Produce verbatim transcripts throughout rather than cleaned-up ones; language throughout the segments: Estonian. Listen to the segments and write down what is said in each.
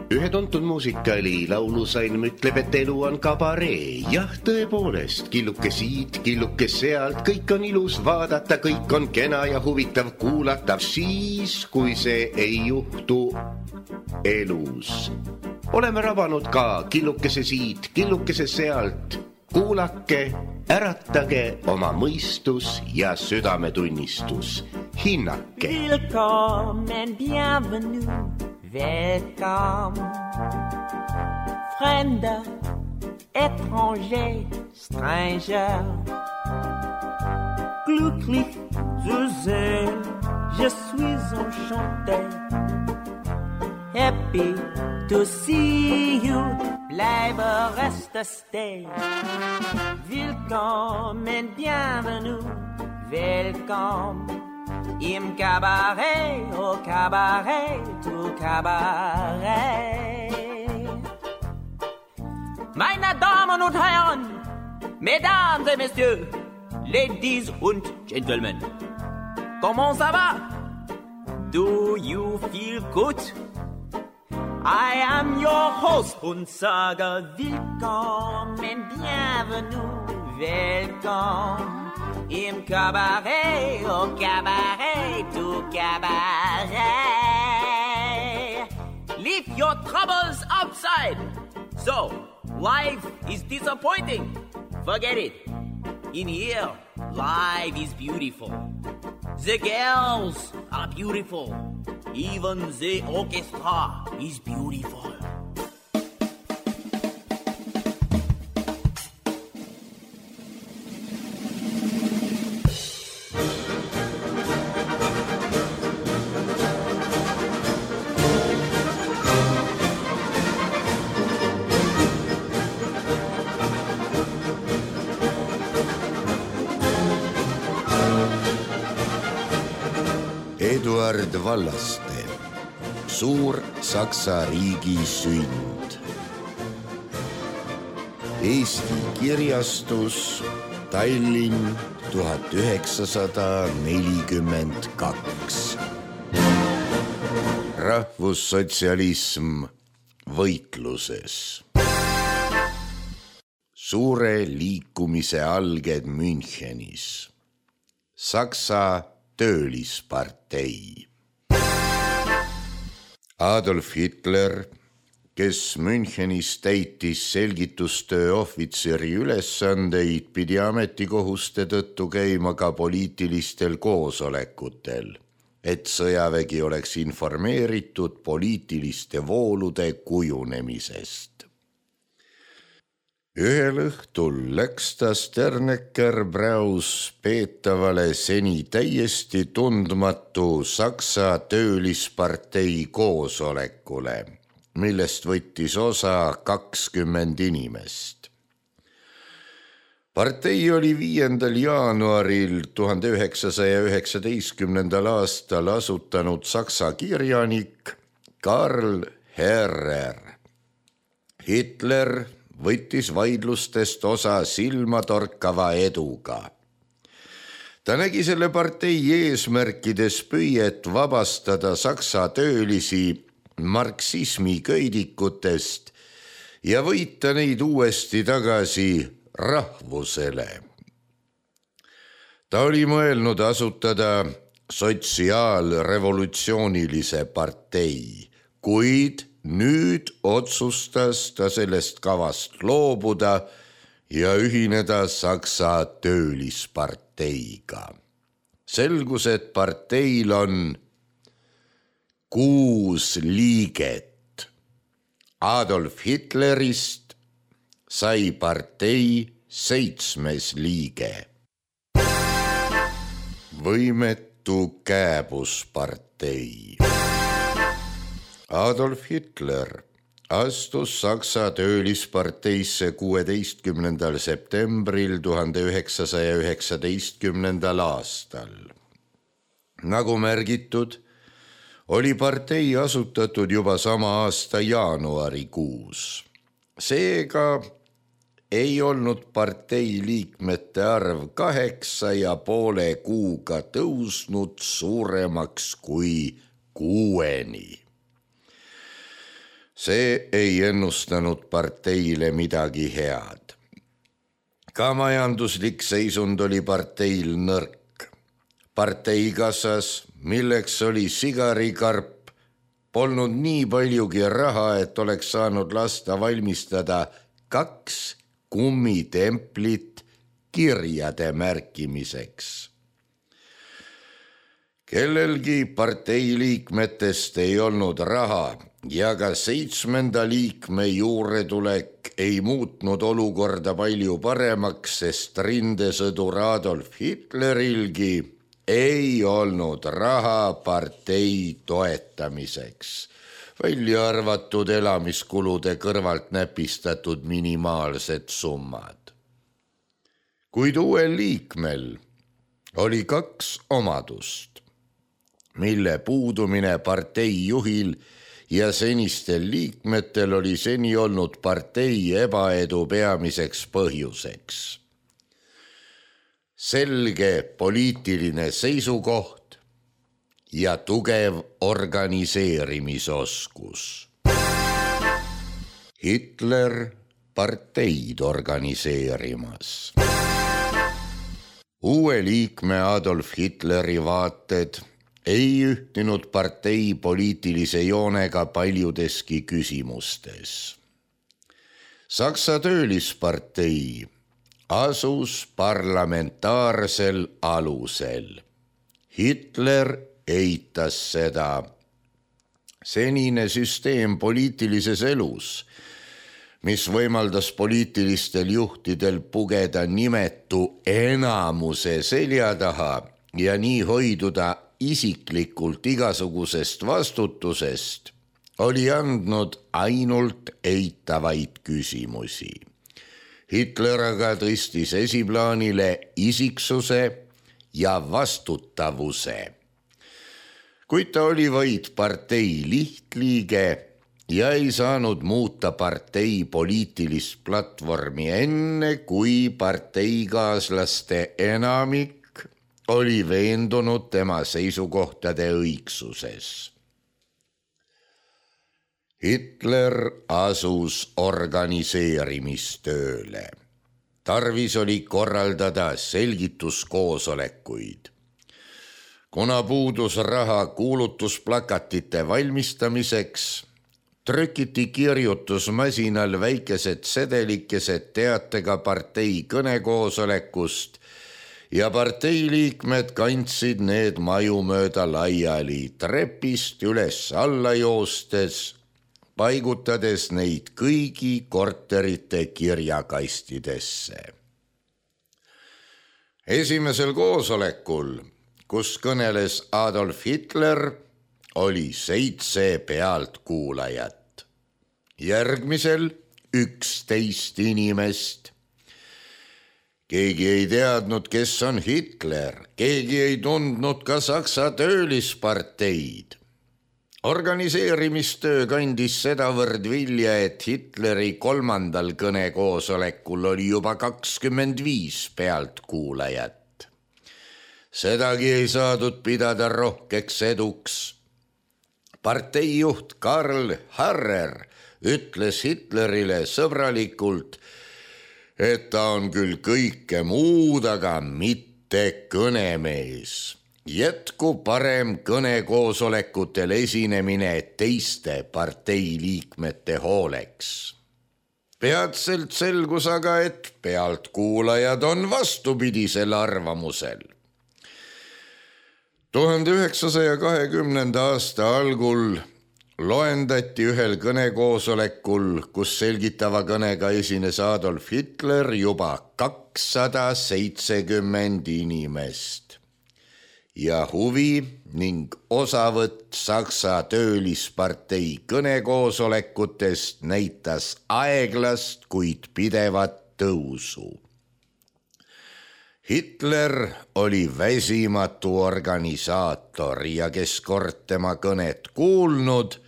Ühe tuntud muusikaali laulusalm ütleb, et elu on kabaree. Jah, tõepoolest, killuke siit, killuke sealt, kõik on ilus vaadata, kõik on kena ja huvitav kuulata, siis, kui see ei juhtu elus. Oleme rabanud ka killukese siit, killukese sealt. Kuulake, äratage oma mõistus ja südametunnistus. Hinnake. Willkommen, bienvenue. Welcome, Fremder, étranger, stranger. Glücklich zu sehen, je suis enchanté. Happy to see you, bleibe, reste, stay. Willkommen, bienvenue, welcome. Im Cabaret, au Cabaret, au Cabaret. Meine Damen und Herren, Mesdames et Messieurs, Ladies und Gentlemen, comment ça va? Do you feel good? I am your host und sage willkommen, bienvenue, welcome. Im Cabaret, au Cabaret, au Cabaret. Leave your troubles outside. So, life is disappointing. Forget it. In here, life is beautiful. The girls are beautiful. Even the orchestra is beautiful. Eduard Vallaste, suur Saksa riigi sünd. Eesti kirjastus, Tallinn tuhat üheksasada nelikümmend kaks. Rahvussotsialism võitluses. Suure liikumise alged Münchenis. Saksa töölispartei. Adolf Hitler, kes Münchenis täitis selgitustöö ohvitseri ülesandeid, pidi ametikohuste tõttu käima ka poliitilistel koosolekutel, et sõjavägi oleks informeeritud poliitiliste voolude kujunemisest. Ühel õhtul läks ta Sternecker-Braus peetavale seni täiesti tundmatu Saksa töölispartei koosolekule, millest võttis osa kakskümmend inimest. Partei oli viiendal jaanuaril tuhande üheksasaja üheksateistkümnendal aastal asutanud saksa kirjanik Karl Herrer. Hitler võttis vaidlustest osa silmatorkava eduga. Ta nägi selle partei eesmärkides püüet vabastada saksa töölisi marksismi köidikutest ja võita neid uuesti tagasi rahvusele. Ta oli mõelnud asutada sotsiaalrevolutsioonilise partei, kuid nüüd otsustas ta sellest kavast loobuda ja ühineda Saksa töölisparteiga. Selgus, et parteil on kuus liiget. Adolf Hitlerist sai partei seitsmes liige. Võimetu kääbuspartei. Adolf Hitler astus Saksa töölisparteisse kuueteistkümnendal septembril tuhande üheksasaja üheksateistkümnendal aastal. Nagu märgitud, oli partei asutatud juba sama aasta jaanuarikuus. Seega ei olnud partei liikmete arv kaheksa ja poole kuuga tõusnud suuremaks kui kuueni. See ei ennustanud parteile midagi head. Ka majanduslik seisund oli parteil nõrk. Parteikassas, milleks oli sigarikarp, polnud nii paljugi raha, et oleks saanud lasta valmistada kaks kummitemplit kirjade märkimiseks. Kellelgi parteiliikmetest ei olnud raha ja ka seitsmenda liikme juuretulek ei muutnud olukorda palju paremaks, sest rindesõdur Adolf Hitlerilgi ei olnud raha partei toetamiseks, välja arvatud elamiskulude kõrvalt näpistatud minimaalsed summad. Kuid uuel liikmel oli kaks omadust, mille puudumine partei juhil ja senistel liikmetel oli seni olnud partei ebaedu peamiseks põhjuseks. Selge poliitiline seisukoht ja tugev organiseerimisoskus. Hitler parteid organiseerimas. Uue liikme Adolf Hitleri vaated ei ühtinud partei poliitilise joonega paljudeski küsimustes. Saksa töölispartei asus parlamentaarsel alusel. Hitler eitas seda. Senine süsteem poliitilises elus, mis võimaldas poliitilistel juhtidel pugeda nimetu enamuse selja taha ja nii hoiduda isiklikult igasugusest vastutusest, oli andnud ainult eitavaid küsimusi. Hitler aga tõstis esiplaanile isiksuse ja vastutavuse. Kuid ta oli vaid partei lihtliige ja ei saanud muuta partei poliitilist platvormi enne, kui parteikaaslaste enamik oli veendunud tema seisukohtade õigsuses. Hitler asus organiseerimistööle. Tarvis oli korraldada selgituskoosolekuid. Kuna puudus raha kuulutusplakatite valmistamiseks, trükiti kirjutusmasinal väikesed sedelikesed teatega partei kõnekoosolekust ja parteiliikmed kandsid need maju mööda laiali trepist üles alla joostes, paigutades neid kõigi korterite kirjakastidesse. Esimesel koosolekul, kus kõneles Adolf Hitler, oli seitse pealtkuulajat. Järgmisel üksteist inimest. Keegi ei teadnud, kes on Hitler, keegi ei tundnud ka Saksa töölisparteid. Organiseerimistöö kandis sedavõrd vilja, et Hitleri kolmandal kõnekoosolekul oli juba kakskümmend viis pealtkuulajat. Sedagi ei saadud pidada rohkeks eduks. Parteijuht Karl Harrer ütles Hitlerile sõbralikult, et ta on küll kõike muud, aga mitte kõnemees. Jätku parem kõnekoosolekutel esinemine teiste parteiliikmete hooleks. Peatselt selgus aga, et pealtkuulajad on vastupidisel arvamusel. tuhande üheksasaja kahekümnenda aasta algul loendati ühel kõnekoosolekul, kus selgitava kõnega esines Adolf Hitler, juba kakssada seitsekümmend inimest. Ja huvi ning osavõtt Saksa töölispartei kõnekoosolekutest näitas aeglast, kuid pidevat tõusu. Hitler oli väsimatu organisaator ja kes kord tema kõnet kuulnud,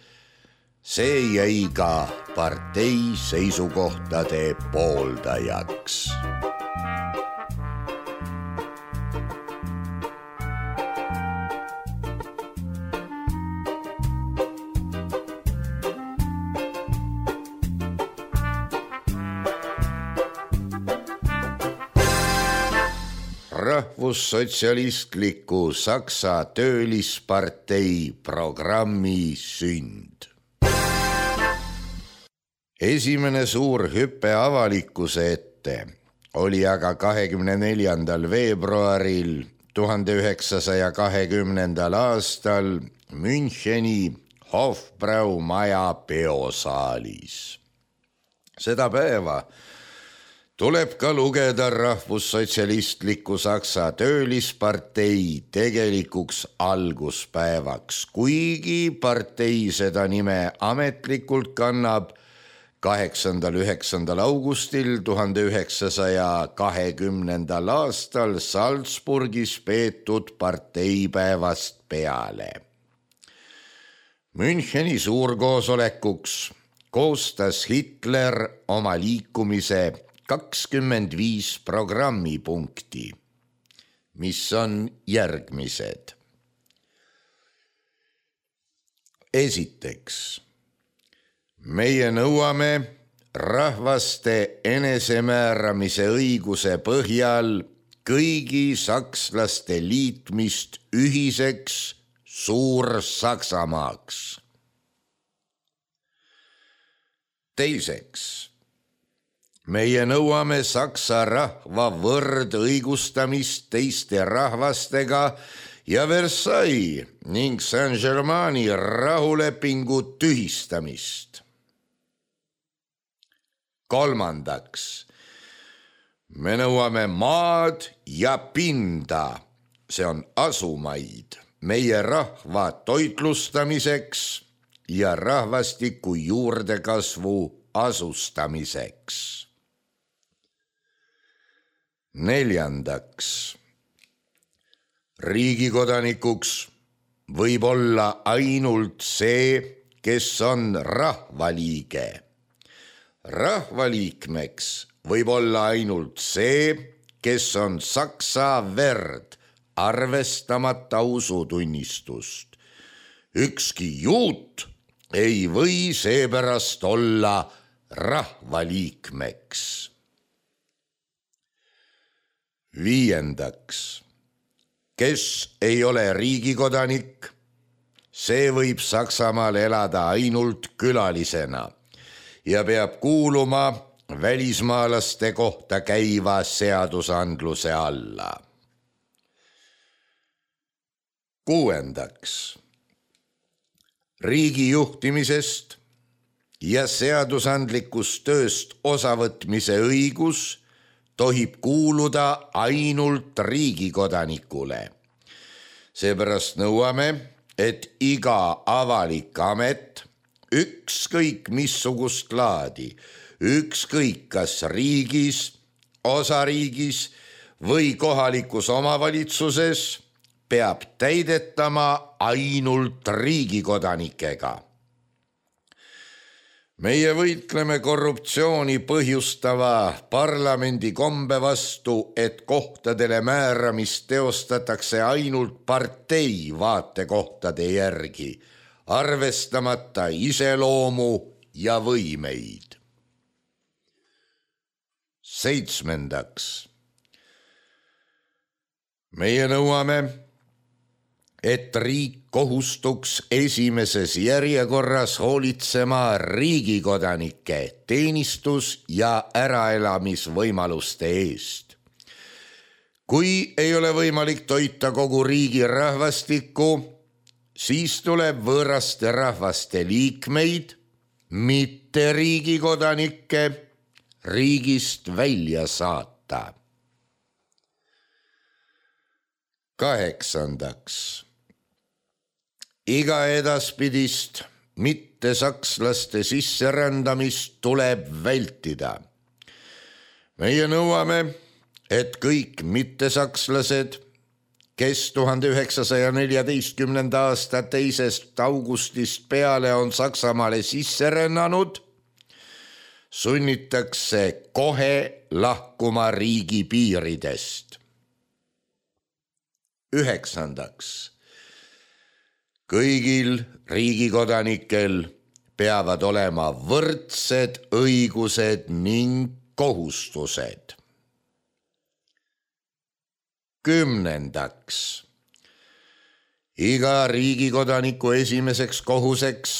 see jäi ka partei seisukohtade pooldajaks. rahvussotsialistliku Saksa töölispartei programmi sünd. Esimene suur hüpe avalikkuse ette oli aga kahekümne neljandal veebruaril tuhande üheksasaja kahekümnendal aastal Müncheni Hofbrau maja peosaalis. Seda päeva tuleb ka lugeda rahvussotsialistliku Saksa töölispartei tegelikuks alguspäevaks, kuigi partei seda nime ametlikult kannab kaheksandal üheksandal augustil tuhande üheksasaja kahekümnendal aastal Salzburgis peetud parteipäevast peale. Müncheni suurkoosolekuks koostas Hitler oma liikumise kakskümmend viis programmipunkti, mis on järgmised. Esiteks, meie nõuame rahvaste enesemääramise õiguse põhjal kõigi sakslaste liitmist ühiseks Suur-Saksamaaks. Teiseks, meie nõuame saksa rahva võrdõigustamist teiste rahvastega ja Versailles ning Saint-Germaini rahulepingu tühistamist. Kolmandaks, me nõuame maad ja pinda, see on asumaid, meie rahva toitlustamiseks ja rahvastiku juurdekasvu asustamiseks. Neljandaks, riigikodanikuks võib olla ainult see, kes on rahvaliige. Rahvaliikmeks võib olla ainult see, kes on saksa verd, arvestamata usutunnistust. Ükski juut ei või seepärast olla rahvaliikmeks. Viiendaks, kes ei ole riigikodanik, see võib Saksamaal elada ainult külalisena ja peab kuuluma välismaalaste kohta käiva seadusandluse alla. Kuuendaks, riigi juhtimisest ja seadusandlikust tööst osavõtmise õigus tohib kuuluda ainult riigikodanikule. Seepärast nõuame, et iga avalik amet, ükskõik missugust laadi, ükskõik kas riigis, osariigis või kohalikus omavalitsuses, peab täidetama ainult riigikodanikega. Meie võitleme korruptsiooni põhjustava parlamendi kombe vastu, et kohtadele määramist teostatakse ainult partei vaatekohtade järgi, arvestamata iseloomu ja võimeid. Seitsmendaks, meie nõuame, et riik kohustuks esimeses järjekorras hoolitsema riigikodanike teenistus- ja äraelamisvõimaluste eest. Kui ei ole võimalik toita kogu riigi rahvastikku, siis tuleb võõraste rahvaste liikmeid, mitte riigikodanikke, riigist välja saata. Kaheksandaks, iga edaspidist mitte sakslaste sisserändamist tuleb vältida. Meie nõuame, et kõik mittesakslased, kes tuhande üheksasaja neljateistkümnenda aasta teisest augustist peale on Saksamaale sisse rännanud, sunnitakse kohe lahkuma riigi piiridest. Üheksandaks, kõigil riigikodanikel peavad olema võrdsed õigused ning kohustused. Kümnendaks, iga riigikodaniku esimeseks kohuseks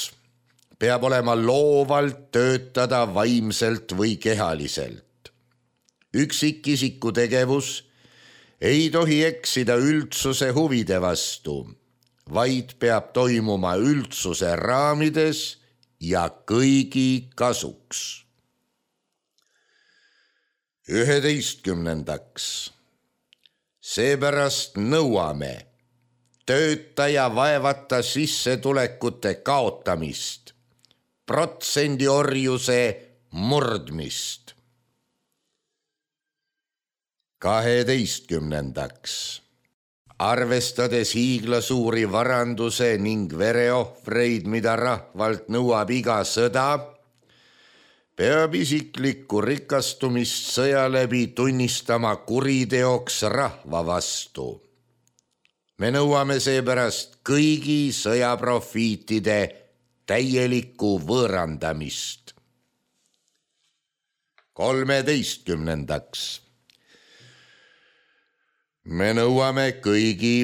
peab olema loovalt töötada vaimselt või kehaliselt. Üksikisiku tegevus ei tohi eksida üldsuse huvide vastu, vaid peab toimuma üldsuse raamides ja kõigi kasuks. Üheteistkümnendaks, seepärast nõuame töötaja vaevata sissetulekute kaotamist, protsendiorjuse murdmist. Kaheteistkümnendaks, arvestades hiiglasuuri varanduse ning vereohvreid, mida rahvalt nõuab iga sõda, peab isiklikku rikastumist sõja läbi tunnistama kuriteoks rahva vastu. Me nõuame seepärast kõigi sõjaprofiitide täielikku võõrandamist. Kolmeteistkümnendaks, me nõuame kõigi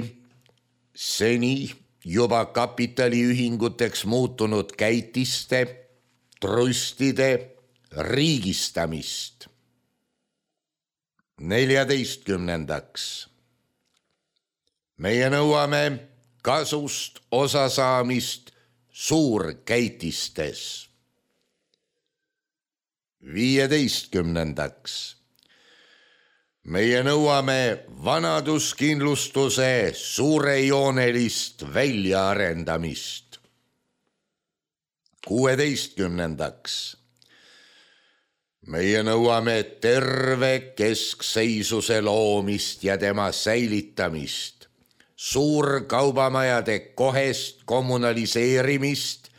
seni juba kapitaliühinguteks muutunud käitiste, trustide riigistamist. Neljateistkümnendaks, meie nõuame kasust osasaamist suurkäitistes. Viieteistkümnendaks, meie nõuame vanaduskindlustuse suurejoonelist väljaarendamist. Kuueteistkümnendaks, meie nõuame terve keskseisuse loomist ja tema säilitamist, suurkaubamajade kohest kommunaliseerimist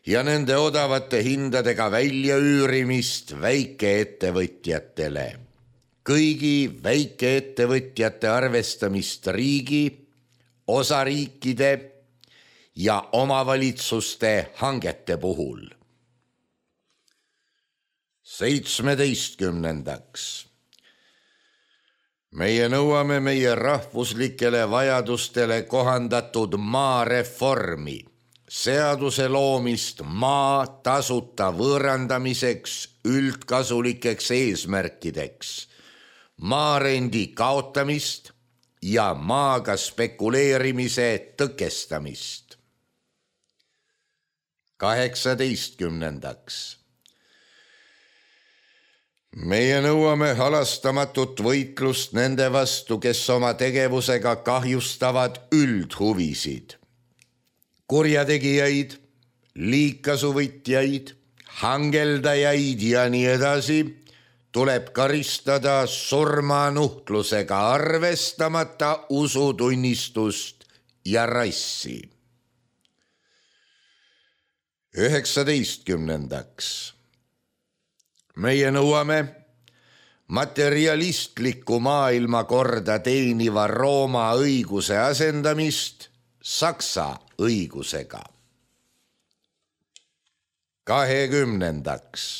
ja nende odavate hindadega väljaüürimist väikeettevõtjatele. Kõigi väikeettevõtjate arvestamist riigi, osariikide ja omavalitsuste hangete puhul. Seitsmeteistkümnendaks, meie nõuame meie rahvuslikele vajadustele kohandatud maareformi, seaduse loomist maa tasuta võõrandamiseks üldkasulikeks eesmärkideks, maarendi kaotamist ja maaga spekuleerimise tõkestamist. Kaheksateistkümnendaks, meie nõuame halastamatut võitlust nende vastu, kes oma tegevusega kahjustavad üldhuvisid, kurjategijaid, liigkasuvõtjaid, hangeldajaid ja nii edasi tuleb karistada surmanuhtlusega, arvestamata usutunnistust ja rassi. Üheksateistkümnendaks, meie nõuame materialistlikku maailmakorda teeniva Rooma õiguse asendamist Saksa õigusega. Kahekümnendaks,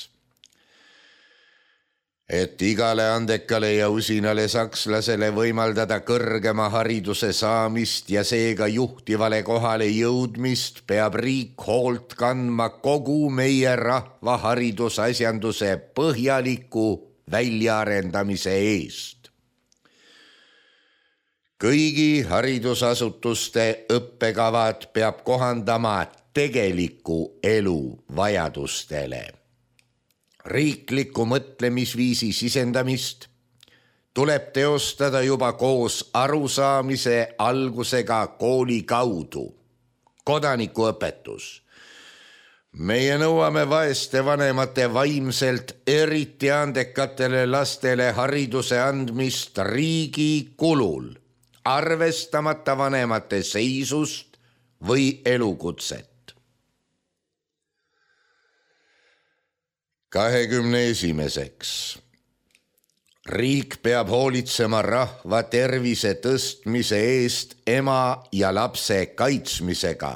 et igale andekale ja usinale sakslasele võimaldada kõrgema hariduse saamist ja seega juhtivale kohale jõudmist, peab riik hoolt kandma kogu meie rahva haridusasjanduse põhjaliku väljaarendamise eest. Kõigi haridusasutuste õppekavad peab kohandama tegeliku elu vajadustele. Riikliku mõtlemisviisi sisendamist tuleb teostada juba koos arusaamise algusega kooli kaudu, kodanikuõpetus. Meie nõuame vaeste vanemate vaimselt eriti andekatele lastele hariduse andmist riigi kulul, arvestamata vanemate seisust või elukutset. Kahekümne esimeseks. Riik peab hoolitsema rahva tervise tõstmise eest ema ja lapse kaitsmisega,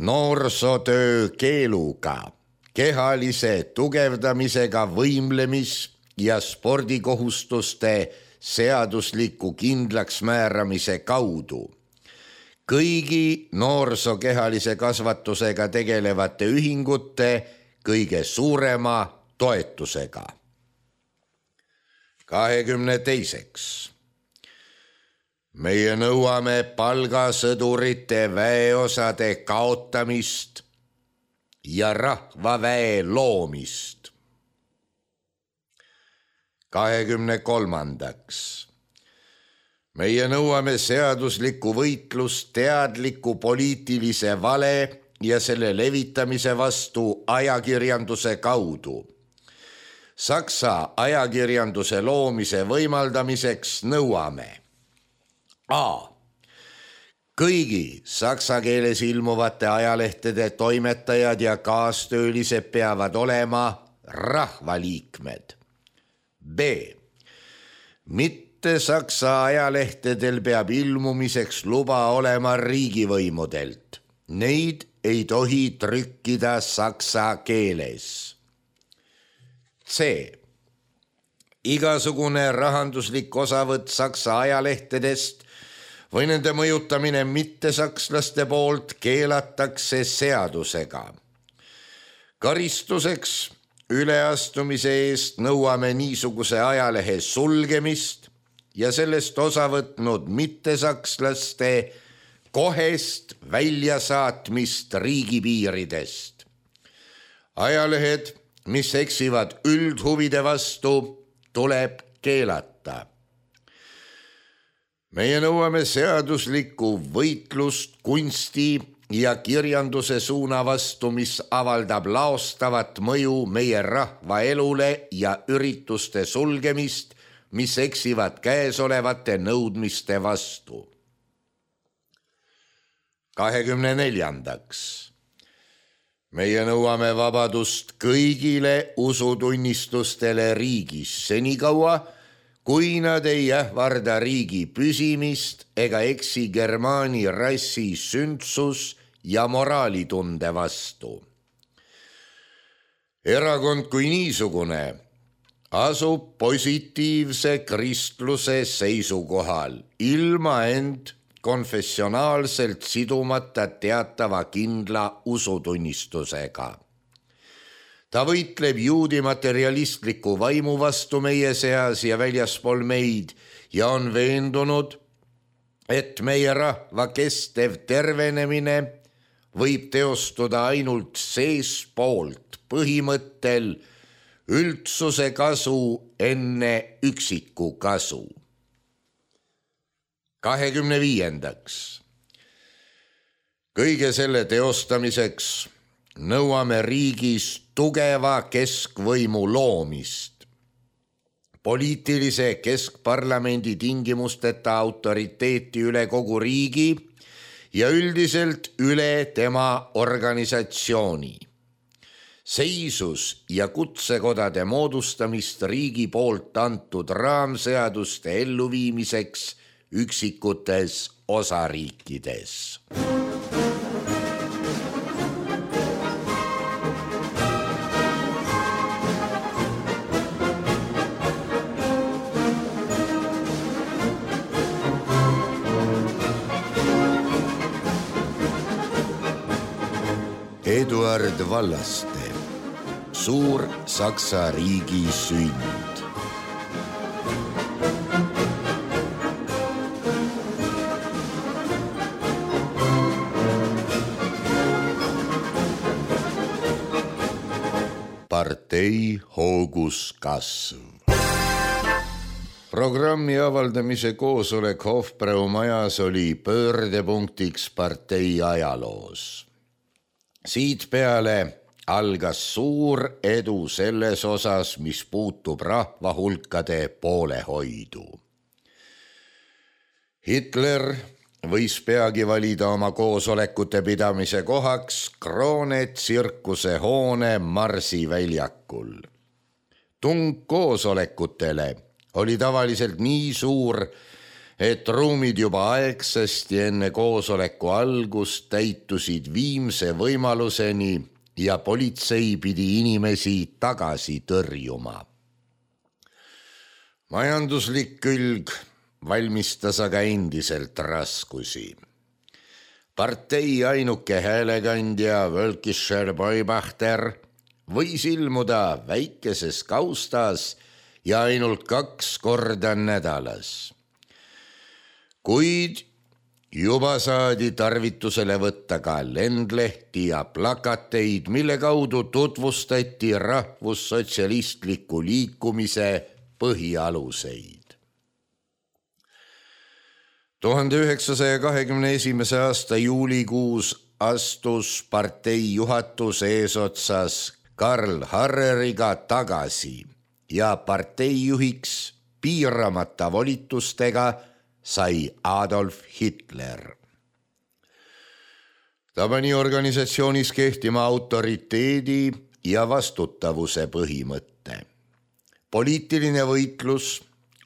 noorsootöö keeluga, kehalise tugevdamisega võimlemis- ja spordikohustuste seadusliku kindlaksmääramise kaudu kõigi noorsokehalise kasvatusega tegelevate ühingute kõige suurema toetusega. kahekümne teiseks. Meie nõuame palgasõdurite väeosade kaotamist ja rahvaväe loomist. kahekümne kolmandaks. Meie nõuame seaduslikku võitlust teadliku poliitilise vale ja selle levitamise vastu ajakirjanduse kaudu. Saksa ajakirjanduse loomise võimaldamiseks nõuame A. Kõigi saksa keeles ilmuvate ajalehtede toimetajad ja kaastöölised peavad olema rahvaliikmed. B. Mitte saksa ajalehtedel peab ilmumiseks luba olema riigivõimudelt. Neid ei tohi trükkida saksa keeles. C. Igasugune rahanduslik osavõtt saksa ajalehtedest või nende mõjutamine mittesakslaste poolt keelatakse seadusega. Karistuseks üleastumise eest nõuame niisuguse ajalehe sulgemist ja sellest osa võtnud mittesakslaste kohest väljasaatmist riigipiiridest. Ajalehed, mis eksivad üldhuvide vastu, tuleb keelata. Meie nõuame seaduslikku võitlust kunsti ja kirjanduse suuna vastu, mis avaldab laostavat mõju meie rahva elule ja ürituste sulgemist, mis eksivad käesolevate nõudmiste vastu. kahekümne neljandaks. Meie nõuame vabadust kõigile usutunnistustele riigis senikaua, kui nad ei ähvarda riigi püsimist ega eksi germaani rassi sündsus ja moraalitunde vastu. Erakond kui niisugune asub positiivse kristluse seisukohal, ilma end konfessionaalselt sidumata teatava kindla usutunnistusega. Ta võitleb juudi materialistliku vaimu vastu meie seas ja väljaspool meid ja on veendunud, et meie rahva kestev tervenemine võib teostuda ainult seespoolt põhimõttel üldsuse kasu enne üksiku kasu. kahekümne viiendaks. Kõige selle teostamiseks nõuame riigis tugeva keskvõimu loomist, poliitilise keskparlamendi tingimusteta autoriteeti üle kogu riigi ja üldiselt üle tema organisatsiooni, seisus ja kutsekodade moodustamist riigi poolt antud raamseaduste elluviimiseks üksikutes osariikides. Eduard Vallaste, suur Saksa riigi sünd. Partei hoogus kasv. Programmi avaldamise koosolek Hofbrau majas oli pöördepunktiks partei ajaloos. Siit peale algas suur edu selles osas, mis puutub rahva hulkade poolehoidu. Hitler võis peagi valida oma koosolekute pidamise kohaks Kroone tsirkuse hoone Marsi väljakul. Tung koosolekutele oli tavaliselt nii suur, et ruumid juba aegsasti enne koosoleku algust täitusid viimse võimaluseni ja politsei pidi inimesi tagasi tõrjuma. Majanduslik külg valmistas aga endiselt raskusi. Partei ainuke häälekandja Völkischer Beubachter võis ilmuda väikeses kaustas ja ainult kaks korda nädalas. Kuid juba saadi tarvitusele võtta ka lendlehti ja plakateid, mille kaudu tutvustati rahvussotsialistliku liikumise põhialuseid. tuhande üheksasaja kahekümne esimese aasta juulikuus astus partei juhatus eesotsas Karl Harreriga tagasi ja parteijuhiks piiramata volitustega sai Adolf Hitler. Ta pani organisatsioonis kehtima autoriteedi ja vastutavuse põhimõtte. Poliitiline võitlus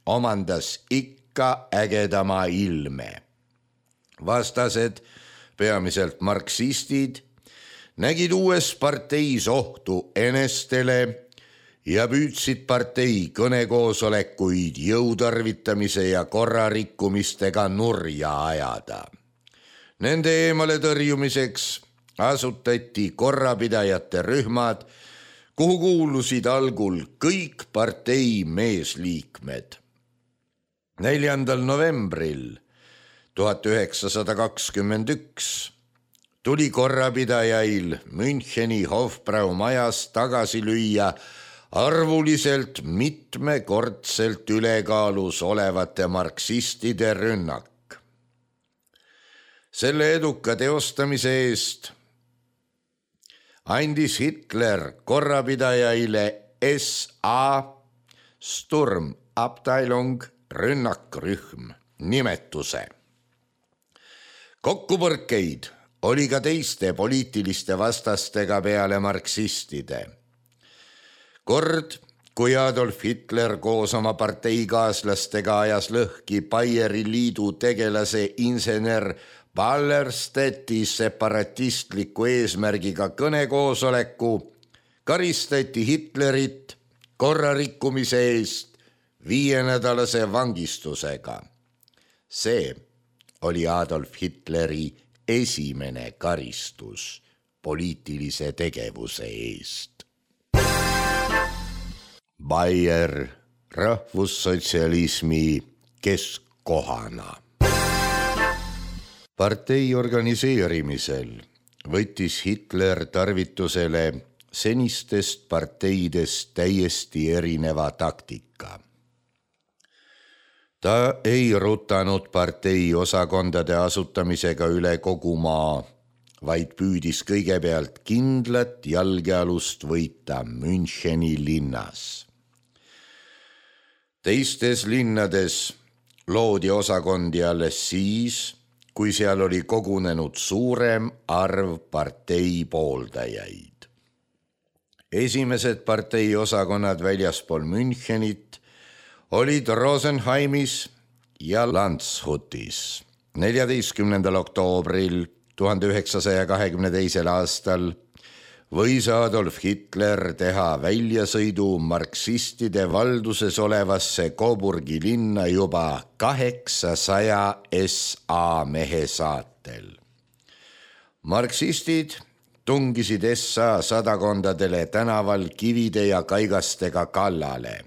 omandas ikka ägedama ilme. Vastased, peamiselt marksistid, nägid uues parteis ohtu enestele ja püüdsid partei kõnekoosolekuid jõutarvitamise ja korrarikkumistega nurja ajada. Nende eemale tõrjumiseks asutati korrapidajate rühmad, kuhu kuulusid algul kõik partei meesliikmed. neljandal novembril tuhat üheksasada kakskümmend üks tuli korrapidajail Müncheni Hofbrau majas tagasi lüüa arvuliselt mitmekordselt ülekaalus olevate marksistide rünnak. Selle eduka teostamise eest andis Hitler korrapidajaile S A Sturmabteilung rünnakrühm nimetuse. Kokkupõrkeid oli ka teiste poliitiliste vastastega peale marksistide. Kord, kui Adolf Hitler koos oma parteikaaslastega ajas lõhki Baieri liidu tegelase insener Ballerstedti separatistliku eesmärgiga kõnekoosoleku, karistati Hitlerit korrarikkumise eest viienädalase vangistusega. See oli Adolf Hitleri esimene karistus poliitilise tegevuse eest. Baier rahvussotsialismi keskkohana. Partei organiseerimisel võttis Hitler tarvitusele senistest parteidest täiesti erineva taktika. Ta ei rutanud partei osakondade asutamisega üle kogu maa, vaid püüdis kõigepealt kindlat jalgealust võita Müncheni linnas. Teistes linnades loodi osakondi alles siis, kui seal oli kogunenud suurem arv partei pooldajaid. Esimesed partei osakonnad väljaspool Münchenit olid Rosenheimis ja Landshutis. neljateistkümnendal oktoobril tuhande üheksasaja kahekümne teisel aastal võis Adolf Hitler teha väljasõidu marksistide valduses olevasse Coburgi linna juba kaheksasaja S A mehe saatel. Marksistid tungisid S A sadakondadele tänaval kivide ja kaigastega kallale.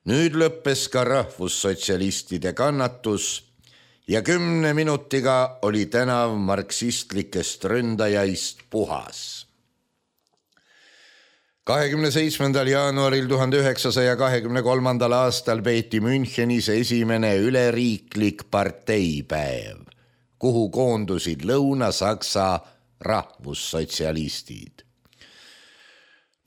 Nüüd lõppes ka rahvussotsialistide kannatus ja kümne minutiga oli tänav marksistlikest ründajaist puhas. kahekümne seitsmendal jaanuaril tuhande üheksasaja kahekümne kolmandal aastal peeti Münchenis esimene üleriiklik parteipäev, kuhu koondusid Lõuna-Saksa rahvussotsialistid.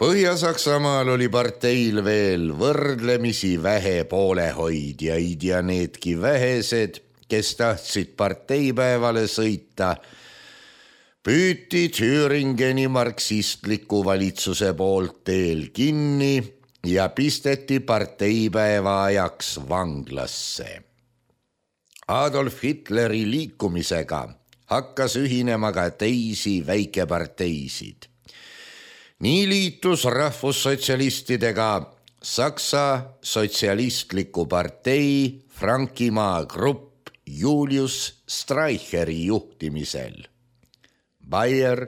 Põhja-Saksamaal oli parteil veel võrdlemisi vähe poolehoidjaid ja needki vähesed, kes tahtsid parteipäevale sõita, püüti Thüringeni marksistliku valitsuse poolt teel kinni ja pisteti parteipäeva ajaks vanglasse. Adolf Hitleri liikumisega hakkas ühinema ka teisi väikeparteisid. Nii liitus rahvussotsialistidega Saksa sotsialistliku partei Frankimaa grupp Julius Streicheri juhtimisel. Bayer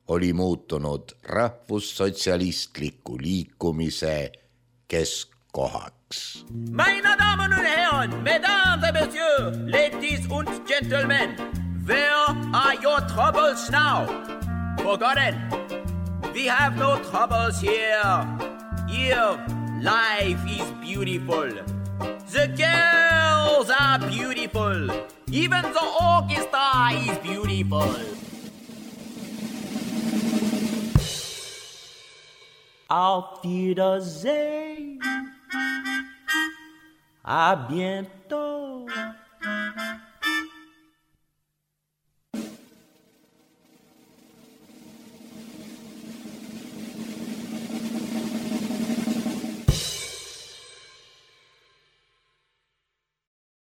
oli muutunud rahvussotsialistliku liikumise keskkohaks. Meine Damen und Herren, Mesdames et Messieurs, ladies und gentlemen, where are your troubles now? Forgotten. We have no troubles here. Here, life is beautiful. The girls are beautiful. Even the orchestra is beautiful. Auf Wiedersehen. À bientôt.